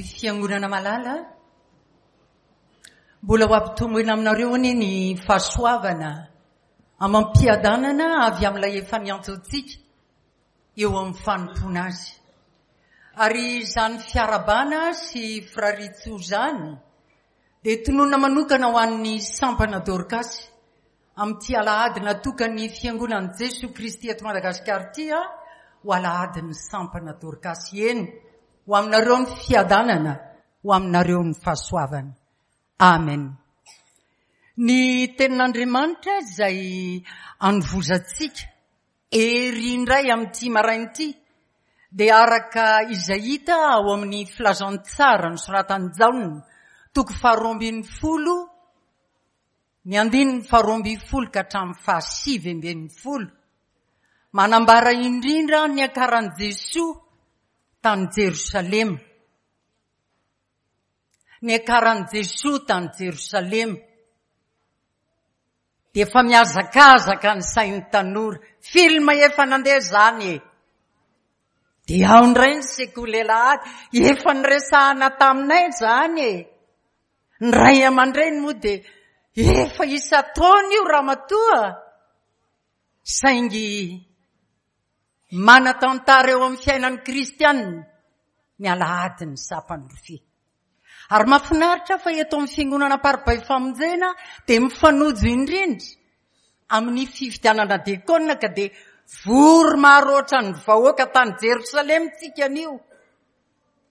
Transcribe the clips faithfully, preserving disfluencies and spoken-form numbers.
Fiangonana malala, mbola ho ampitomboina aminareo anie ny fahasoavana amam-piadanana avy amin'ilay efa niantso antsika eo amin'ny fanompoana azy. Ary izany fiarahabana sy firariantsoa izany dia tononina manokana ho an'ny sampana Dorkasy amin'ity alahady natokan'ny fiangonan'i Jesoa Kristy eto Madagasikara ity ho alahadin'ny sampana Dorkasy. Eny, ho aminareo ny fiadanana, ho aminareo ny fahasoavana. Amen. Ny tenin'Andriamanitra izay anovozantsika hery indray amin'ity maraina ity dia araka izay hita ao amin'ny filazantsara nosoratan'i Jaona, toko faharoa ambin'ny folo, ny andininy faharoa ambin'ny folo ka hatramin'ny fahasivy ambin'ny folo. Manambara indrindra ny niakaran'i Jesoa tany Jerosalema. Niakaran'i Jesoa tany Jerosalema. Dia efa mihazakazaka ny sain'ny tanora. Film efa nandeha izany e. Dia ao indray ny sekoly alahady. Efa niresahana taminay izany e. Ny ray aman-dreny moa dia efa isan-taona io ramatoa. Saingy manan-tantara eo amin'ny fiainan'ny kristianina ny alahadin'ny sampan'ny rofia. Ary mahafinaritra fa eto amin'ny fiangonana Amparibe Famonjena dia mifanojo indrindra amin'ny fifidianana diakona ka dia vory maro ohatran'ny vahoaka tany Jerosalema tsika anio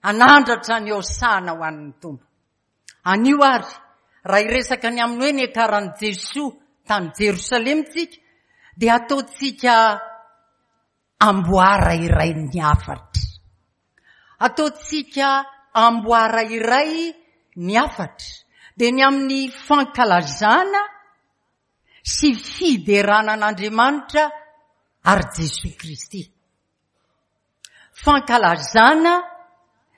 hanandratra ny Hosana ho an'ny Tompo. Anio ary raha hiresaka ny amin'ny hoe niakaran'i Jesoa tany Jerosalema tsika dia ataontsika amboara iray ny hafatra. Ataontsika amboara iray ny hafatra. Dia ny amin'ny fankalazana sy fiderana an'Andriamanitra ary Jesoa Kristy. Fankalazana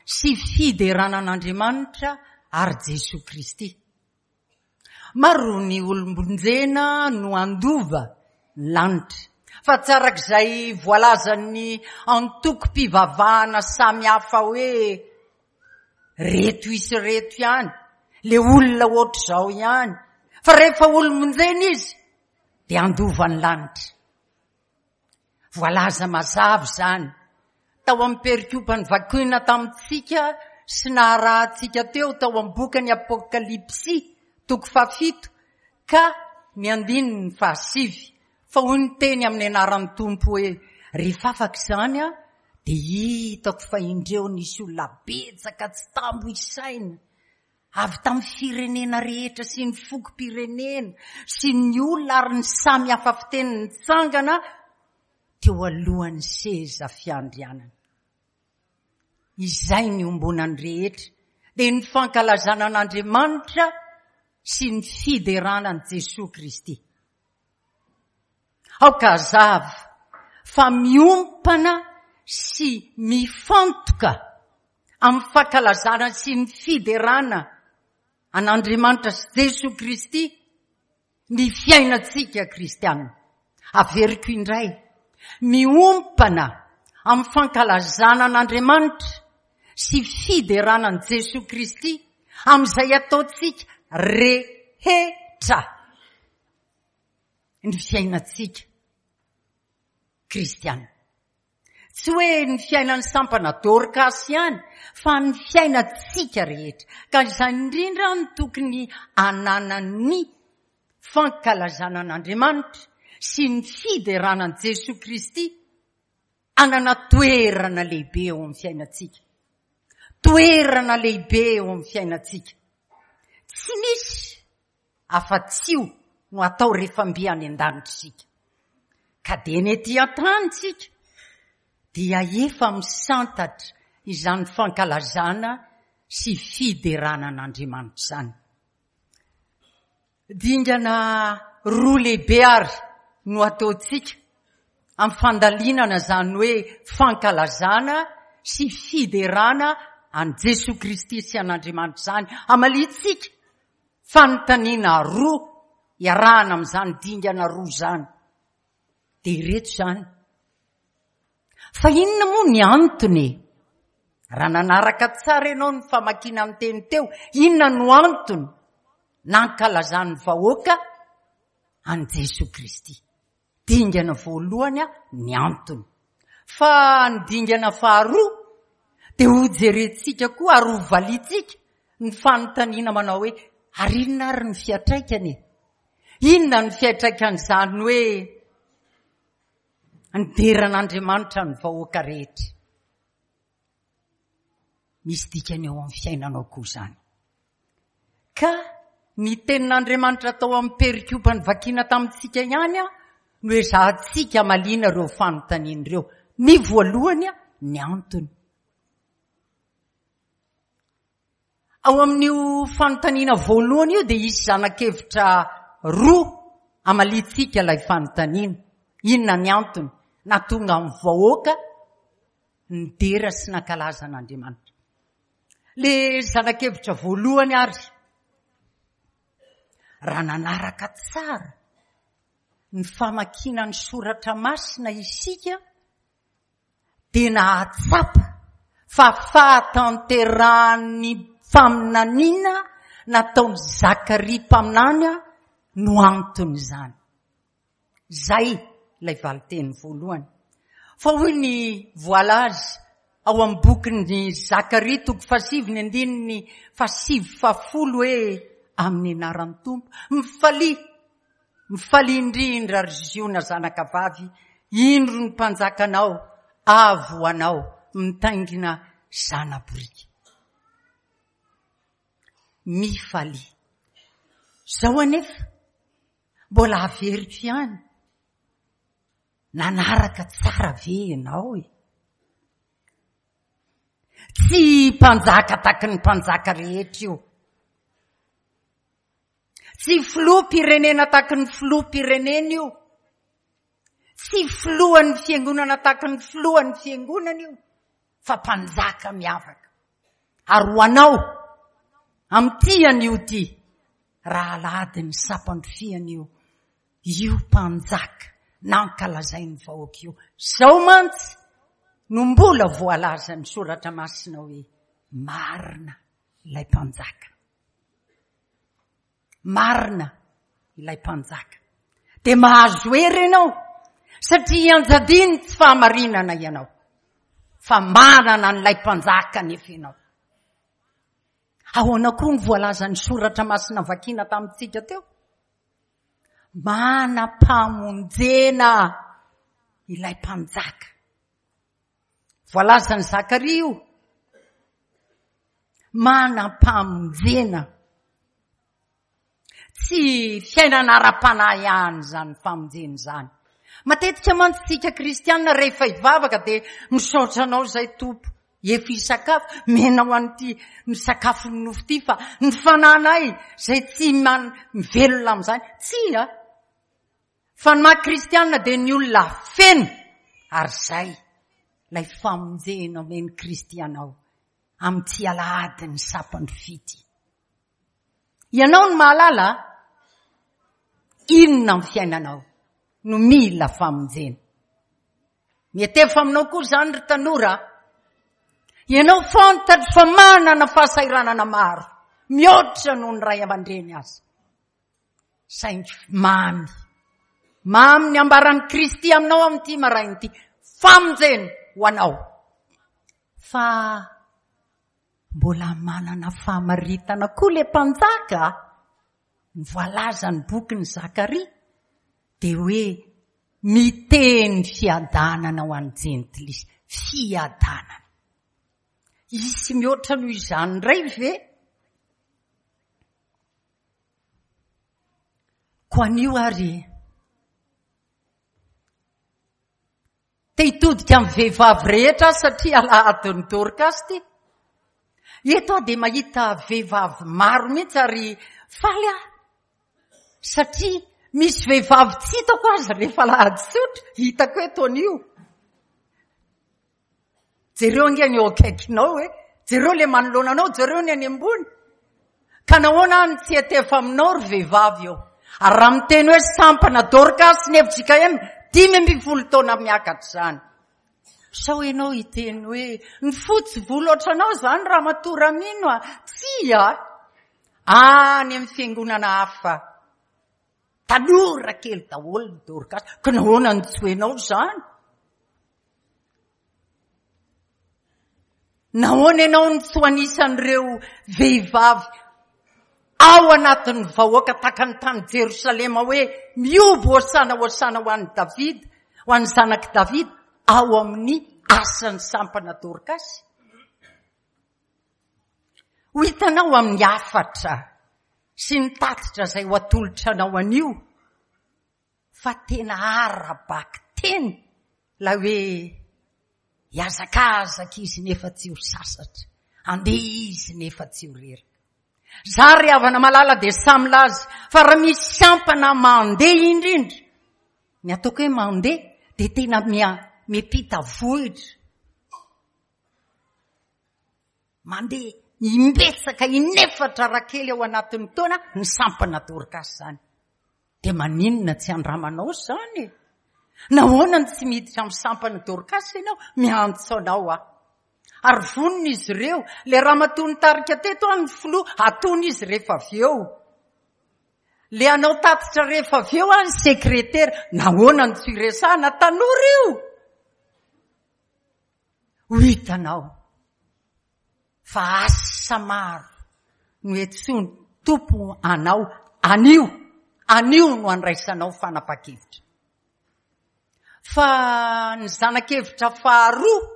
sy fiderana an'Andriamanitra ary Jesoa Kristy. Maro ny olom-bonjena no handova ny lanitra. Fa tsy arak'izay voalazan'ny antokom-pivavahana samihafa hoe reto isy reto ihany, le olona ohatr'izao ihany. Fa rehefa olom-bonjena izy dia handova ny lanitra. Voalaza mazava izany tao amin'ny perikopa novakiana tamintsika sy naharahantsika teo tao amin'ny bokin'ny Apokalypsy toko fahafito ka ny andininy fahasivy. Fa hoy ny teny amin'ny anaran'ny Tompo hoe rehefa afaka izany aho dia hitako fa indreo nisy olona betsaka tsy tambo isaina avy tamin'ny firenena rehetra sy ny fokom-pirenena sy ny olona ary ny samy hafa fiteny nitsangana teo alohan'ny seza fiandrianana. Izay ny ombonany rehetra dia ny fankalazana an'Andriamanitra sy ny fiderana an'i Jesoa Kristy. Aoka hazava fa miompana sy mifantoka amin'ny fankalazana sy ny fiderana an'Andriamanitra sy Jesoa Kristy ny fiainantsika kristiana. Averiko indray, miompana amin'ny fankalazana an'Andriamanitra sy fiderana an'i Jesoa Kristy amin'izay ataontsika rehetra ny fiainantsika kristiana. Tsy hoe ny fiainan'ny sampana Dorkasy ihany, fa ny fiainantsika rehetra. Ka izany indrindra no tokony hananan'ny fankalazana an'Andriamanitra sy ny fiderana an'i Jesoa Kristy hanana toerana lehibe eo amin'ny fiainantsika. Toerana lehibe eo amin'ny fiainantsika. Tsy misy afa-tsy io no atao rehefa mby any an-danitra isika. Ka dia ny ety an-tany isika dia efa misantatra izany fankalazana sy fiderana an'Andriamanitra izany. Dingana roa lehibe ary no ataontsika amin'ny fandalinana izany hoe fankalazana sy fiderana an'i Jesoa Kristy sy an'Andriamanitra izany. Hamaliantsika fanontaniana roa iarahana amin'izany dingana roa izany. Dia ireto izany. Fa inona moa ny antony Raha nanaraka tsara ianao ny famakiana ny teny teo, inona no antony nankalazan'ny vahoaka an'i Jesoa Kristy? Dingana voalohany ny antony. Fa ny dingana faharoa dia hojerentsika koa ary hovaliantsika ny fanontaniana manao hoe ary inona ary ny fiantraikany e? Inona ny fiantraikan'izany hoe nidera an'Andriamanitra ny vahoaka rehetra? Misy dikany eo amin'ny fiainanao koa izany. Ka ny tenin'Andriamanitra tao amin'ny perikopa novakiana tamintsika ihany no ezahantsika hamaliana ireo fanontaniana ireo. Ny voalohany, ny antony. Ao amin'io fanontaniana voalohany io dia hisy zana-kevitra roa hamaliantsika ilay fanontaniana. Inona ny antony nahatonga ny vahoaka nidera sy nankalaza an'Andriamanitra? Le zana-kevitra voalohany ary, raha nanaraka tsara ny famakiana ny soratra masina isika dia nahatsapa fa fahatanterahan'ny faminaniana nataon'i Zakaria mpaminany no anton'izany. Izay ilay valinteny voalohany. Fa hoy ny voalaza ao amin'ny bokin'i Zakaria toko fahasivy ny andininy fahasivy fahafolo hoe amin'ny anaran'ny Tompo, mifalia, mifalia indrindra ry Ziona zanaka vavy, indro ny mpanjakanao avy ho anao mitaingina zana-boriky. Mifalia. Izao anefa mbola averiko ihany, nanaraka tsara ve ianao e? Tsy mpanjaka taky ny mpanjaka rehetra io. Tsy filoham-pirenena taky ny filoham-pirenena io. Tsy filohan'ny fiangonana taky ny filohan'ny fiangonana io, fa mpanjaka miavaka. Ary ho anao, amin'ity anio ity, raha alahady ny sampandrofiana io, io mpanjaka nankalazain'ny vahoaka io. Izao mantsy no mbola voalazan'ny soratra masina hoe marina ilay mpanjaka. Marina ilay mpanjaka. Dia mahazo hery ianao satria ianjadiany tsy fahamarinana ianao, fa manana an'ilay mpanjaka nefa ianao. Ahoana koa ny voalazan'ny soratra masina vakiana tamintsika teo? Manam-pamonjena ilay mpanjaka. Voalazan'i Zakaria io. Manam-pamonjena. Tsy fiainana ara-panahy ihany izany famonjena izany. Matetika mantsy tsika kristianina rehefa hivavaka dia misaotra anao izay Tompo. Efa hisakafo, mena ho an'ity ny sakafon'ny nofo ity fa ny fananay izay tsy man- mivelona amin'izany. Tsia. Fa ny maha kristianina dia ny olona feno ary izay ilay famonjena omen'i Kristy anao amin'ity alahady ny sampandrofia ity. Ianao no mahalala inona amin'ny fiainanao no mila famonjena. Mietefa aminao koa izany ry tanora. Ianao fantatro fa manana fahasahiranana maro mihoatra noho ny ray aman-dreny aza. Saingy mamy. Mamy ny ambaran'i Kristy aminao amin'ity maraina ity. Famonjena ho anao. Fa mbola manana fahamaritana koa le mpanjaka. Ny voalazan'ny bokin'i Zakaria dia hoe miteny fiadanana ho an'ny jentilisa. Fiadanana. Hisy mihoatra noho izany indray ve? Koa anio ary te hitodika amin'ny vehivavy rehetra satria alahadin'ny Dorcas ity. Eto aho dia mahita vehivavy maro mihitsy ary faly aho satria misy vehivavy tsy hitako aza rehefa alahady tsotra, hitako eto anio. Jereo ange ny eo akaikinao e, jereo le manoloana anao, jereo ny any ambony. Ka nahoana aho no tsy hiatefa aminao ry vehivavy eo? Ary raha miteny hoe sampana Dorcas ny F J K M, dimy ambin'ny folo taona miakatra izany. Sao ianao hiteny hoe ny fotsy volo ohatranao izany ramatoa Ramino a? Tsia! Any amin'ny fiangonana hafa, tanora kely daholo ny Dorkasy. Ka nahoana no tsy ho ianao izany? Nahoana ianao no tsy ho anisan'ireo vehivavy ao anatin'ny vahoaka tahaka ny tany Jerosalema hoe mihoby hosana hosana ho an'i Davida, ho an'ny zanak'i Davida ao amin'ny asan'ny sampana Dorkasy? Ho hitanao amin'ny hafatra sy ny tatitra izay ho atolotra anao anio fa tena ara-bakiteny ilay hoe hihazakazaka izy nefa tsy ho sasatra, handeha izy nefa tsy ho reraka. Za ry havana malala dia samy milaza fa raha misy sampana mandeha indrindra, ny ataoko hoe mandeha dia tena miampita vohitra, mandeha imbetsaka inefatra rakely ao anatin'ny taona ny sampana Dorkasy izany. Dia maninona tsy andramanao izany e? Nahoana no tsy miditra amin'ny sampana Dorkasy ianao? Miantso anao aho. Ary vonona izy ireo. Ilay ramatoa nitarika teto aho ny filoha, atony izy rehefa avy eo. Ilay hanao tatitra rehefa avy eo aho ny sekretera. Nahoana no tsy iresahana? Tanora io. Ho hitanao fa asa maro no entsoin'ny Tompo anao anio. Anio no andraisanao fanapahan-kevitra. Fa ny zana-kevitra faharoa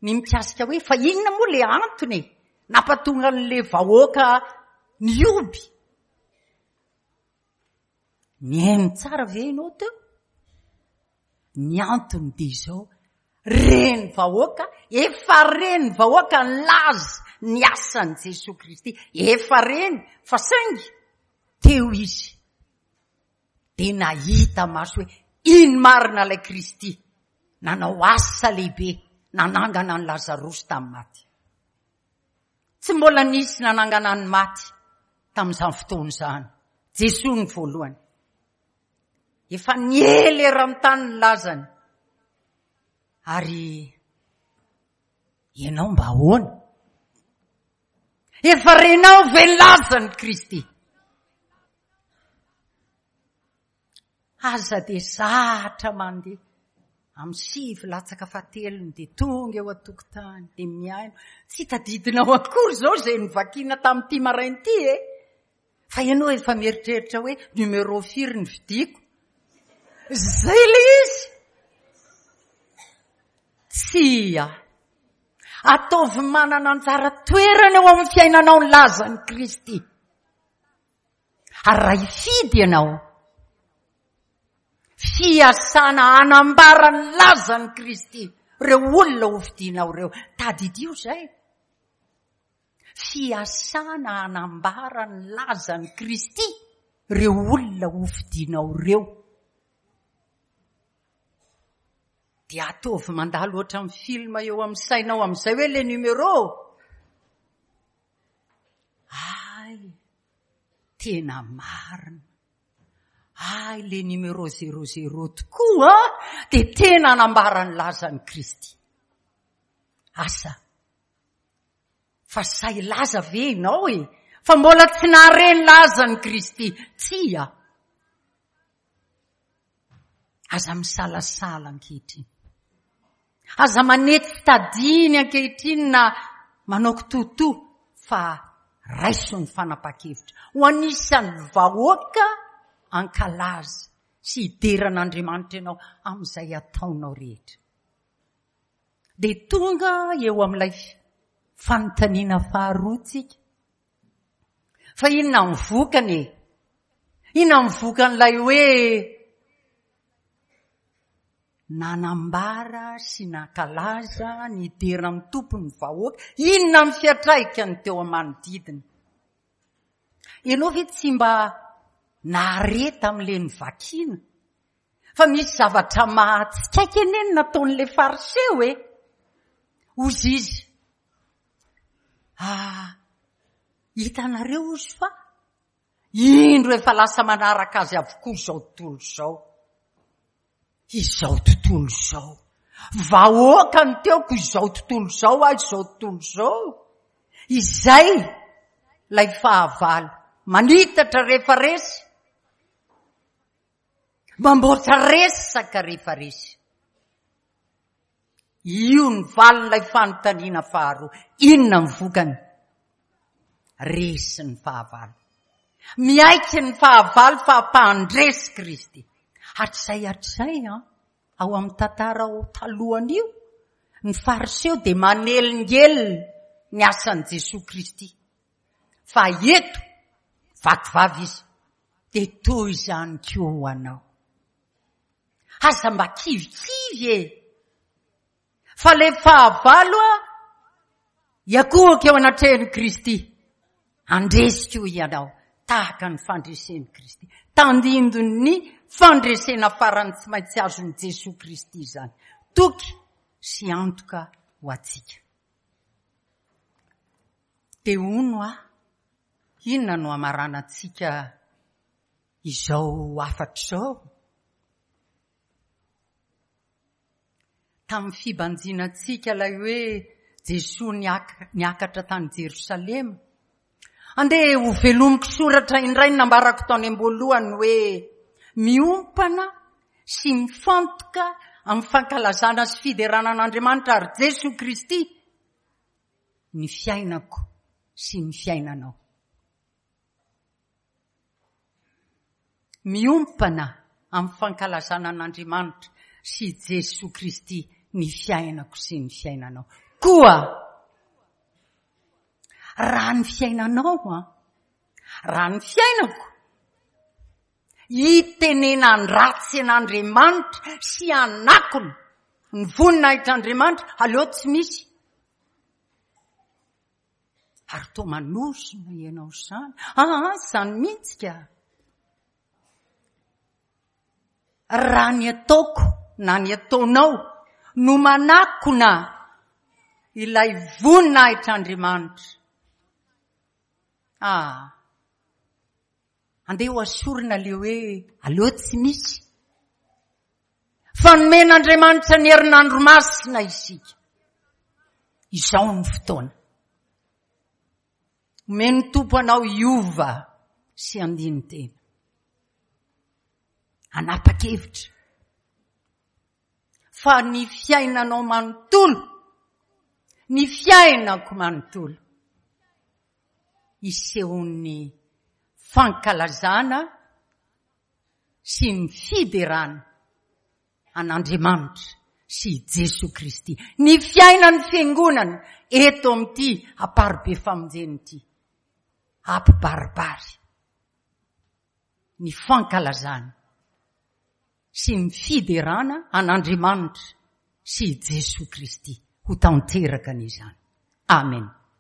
ny mikasika hoe fa inona moa ilay antony e? Nampatonga an'ilay vahoaka nihoby. Nihaino tsara ve ianao teo? Ny antony dia izao, reny vahoaka, efa reny vahoaka nilaza ny asan'i Jesoa Kristy. Efa reny, fa saingy teo izy dia nahita maso hoe iny marina ilay Kristy nanao asa lehibe nanangana an'i Lazarosy tamin'ny maty. Tsy mbola nisy nanangana ny maty tamin'izany fotoana izany. Jesoa ny voalohany. Efa niely eran'ny tany ny lazany. Ary ianao mba ahoana? Efa renao ve ny lazan'i Kristy? Aza dia zatra mandeha amin'ny sivy latsaka fahatelony dia tonga eo an-tokotany dia mihaino. Tsy tadidinao akory izao izay novakiana tamin'ity maraina ity e. Fa ianao efa mieritreritra hoe numéro firy ny vidiako. Izay ilay izy. Tsia. Ataovy manana anjara toerana eo amin'ny fiainanao ny lazan'i Kristy. Ary raha hifidy ianao, fiasana hanambara ny lazan'i Kristy ireo olona hofidianao ireo. Tadidio izay. Fiasana hanambara ny lazan'i Kristy ireo olona hofidianao ireo. Dia ataovy mandalo ohatran'ny film eo amin'ny sainao amin'izay hoe le numéro. Ay, tena marina. Ay, le numéro zéro zéro tokoa dia tena hanambara ny lazan'i Kristy. Asa, fa sahy hilaza ve ianao e? Fa mbola tsy nahare ny lazan'i Kristy. Tsia. Aza misalasala ankehitriny. Aza manetsy tadiny ankehitriny na manao kitoatoa fa raiso ny fanapahan-kevitra. Ho anisan'ny vahoaka ankalaza sy hidera an'Andriamanitra ianao amin'izay ataonao rehetra. Dia tonga eo amin'ilay fanontaniana faharoa tsika. Fa inona ny vokany e? Inona ny vokan'ilay hoe nanambara sy nankalaza ny dera ny Tompo ny vahoaka? Inona ny fiantraikany teo amin'ny manodidina? Ianao ve tsy mba nahare tamin'ilay novakiana fa misy zavatra mahatsikaiky anie ny nataon'ilay Fariseo e? Hozy izy, ah, hitanareo hozy fa indro efa lasa manaraka azy avokoa izao tontolo izao. Izao tontolo izao. Vahoaka ny teoko izao tontolo izao aho izao tontolo izao. Izay ilay fahavalo. Manitatra rehefa resy. Mamboatra resaka rehefa resy. Io ny valin'ilay fanontaniana faharoa. Inona ny vokany? Resy ny fahavalo. Miaiky ny fahavalo fa mpandresy Kristy. Hatrizay hatrizay an, ao amin'ny tantara ao talohan'io, ny Fariseo dia manelingelina ny asan'i Jesoa Kristy. Fa eto, vaky vava izy, dia toy izany koa ho anao. Aza mba kivikivy e! Fa ilay fahavalo a, hiakohoka eo anatrehan'i Kristy. Handresy koa ianao, tahaka ny fandresen'i Kristy. Tandindon'ny fandresena farany tsy maintsy azon'i Jesoa Kristy izany. Toky sy antoka ho antsika. Dia hono aho, inona no hamaranantsika izao hafatra izao? Tamin'ny fibanjinantsika ilay hoe Jesoa niakatra tany Jerosalema. Andeha ho velomiko soratra indray ny nambarako tany am-boalohany hoe miompana sy mifantoka amin'ny fankalazana sy fiderana an'Andriamanitra ary Jesoa Kristy ny fiainako sy ny fiainanao. Miompana amin'ny fankalazana an'Andriamanitra sy Jesoa Kristy ny fiainako sy ny fiainanao. Koa raha ny fiainanao an, raha ny fiainako, hitenenan-dratsy an'Andriamanitra sy hanakona ny voninahitr'Andriamanitra, aleo tsy misy. Ary toa manozona ianao izany. Aa, izany mihitsy ka. Raha ny ataoko na ny ataonao no manakona ilay voninahitr'Andriamanitra. Ah, andeha ho asorina le hoe aleo tsy misy. Fa nomen'Andriamanitra ny herinandro masina isika. Izao ny fotoana. Omen'ny Tompo anao hiova sy handini-tena. Hanapa-kevitra fa ny fiainanao manontolo, ny fiainako manontolo, hisehoan'ny fankalazana sy ny fiderana an'Andriamanitra sy i Jesoa Kristy. Ny fiainan'ny Fiangonana eto amin'ity Amparibe Famonjena ity, hampibaribary ny fankalazana sy ny fiderana an'Andriamanitra sy i Jesoa Kristy. Ho tanteraka anie izany. Amen.